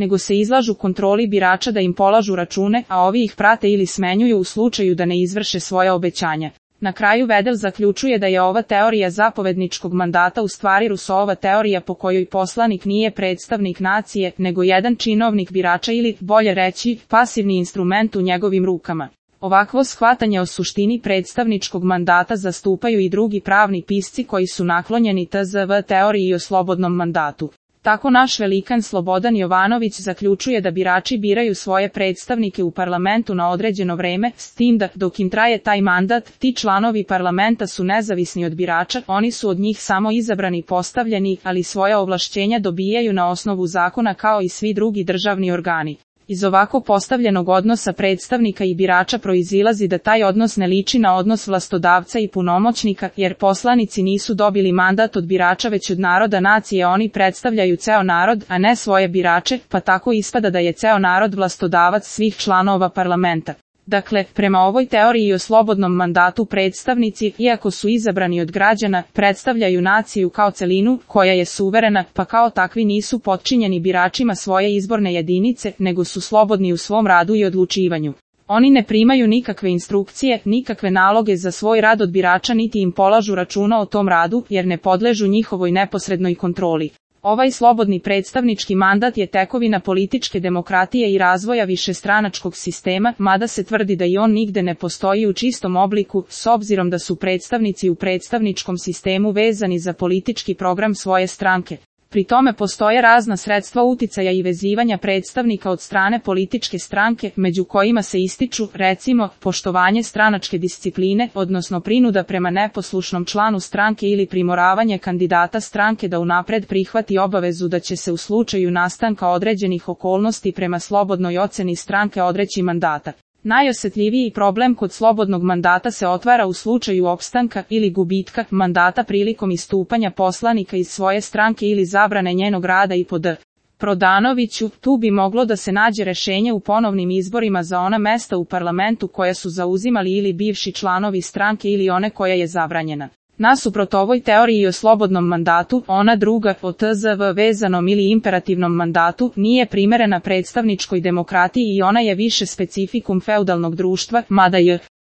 nego se izlažu kontroli birača da im polažu račune, a ovi ih prate ili smenjuju u slučaju da ne izvrše svoja obećanja. Na kraju Vedel zaključuje da je ova teorija zapovedničkog mandata u stvari Rousseauova teorija po kojoj poslanik nije predstavnik nacije, nego jedan činovnik birača ili, bolje reći, pasivni instrument u njegovim rukama. Ovakvo shvatanje o suštini predstavničkog mandata zastupaju i drugi pravni pisci koji su naklonjeni tzv. teoriji o slobodnom mandatu. Tako naš velikan Slobodan Jovanović zaključuje da birači biraju svoje predstavnike u parlamentu na određeno vreme, s tim da, dok im traje taj mandat, ti članovi parlamenta su nezavisni od birača, oni su od njih samo izabrani i postavljeni, ali svoja ovlašćenja dobijaju na osnovu zakona kao i svi drugi državni organi. Iz ovako postavljenog odnosa predstavnika i birača proizilazi da taj odnos ne liči na odnos vlastodavca i punomoćnika, jer poslanici nisu dobili mandat od birača već od naroda nacije, oni predstavljaju ceo narod, a ne svoje birače, pa tako ispada da je ceo narod vlastodavac svih članova parlamenta. Dakle, prema ovoj teoriji o slobodnom mandatu predstavnici, iako su izabrani od građana, predstavljaju naciju kao celinu, koja je suverena, pa kao takvi nisu potčinjeni biračima svoje izborne jedinice, nego su slobodni u svom radu i odlučivanju. Oni ne primaju nikakve instrukcije, nikakve naloge za svoj rad od birača niti im polažu računa o tom radu, jer ne podležu njihovoj neposrednoj kontroli. Ovaj slobodni predstavnički mandat je tekovina političke demokratije i razvoja višestranačkog sistema, mada se tvrdi da i on nigde ne postoji u čistom obliku, s obzirom da su predstavnici u predstavničkom sistemu vezani za politički program svoje stranke. Pri tome postoje razna sredstva uticaja i vezivanja predstavnika od strane političke stranke, među kojima se ističu, recimo, poštovanje stranačke discipline, odnosno prinuda prema neposlušnom članu stranke ili primoravanje kandidata stranke da unapred prihvati obavezu da će se u slučaju nastanka određenih okolnosti prema slobodnoj oceni stranke odreći mandata. Najosetljiviji problem kod slobodnog mandata se otvara u slučaju opstanka ili gubitka mandata prilikom istupanja poslanika iz svoje stranke ili zabrane njenog rada i po D. Prodanoviću, tu bi moglo da se nađe rešenje u ponovnim izborima za ona mesta u parlamentu koja su zauzimali ili bivši članovi stranke ili one koja je zabranjena. Nasuprot ovoj teoriji o slobodnom mandatu, ona druga, o tzv. Vezanom ili imperativnom mandatu, nije primerena predstavničkoj demokratiji i ona je više specifikum feudalnog društva, mada je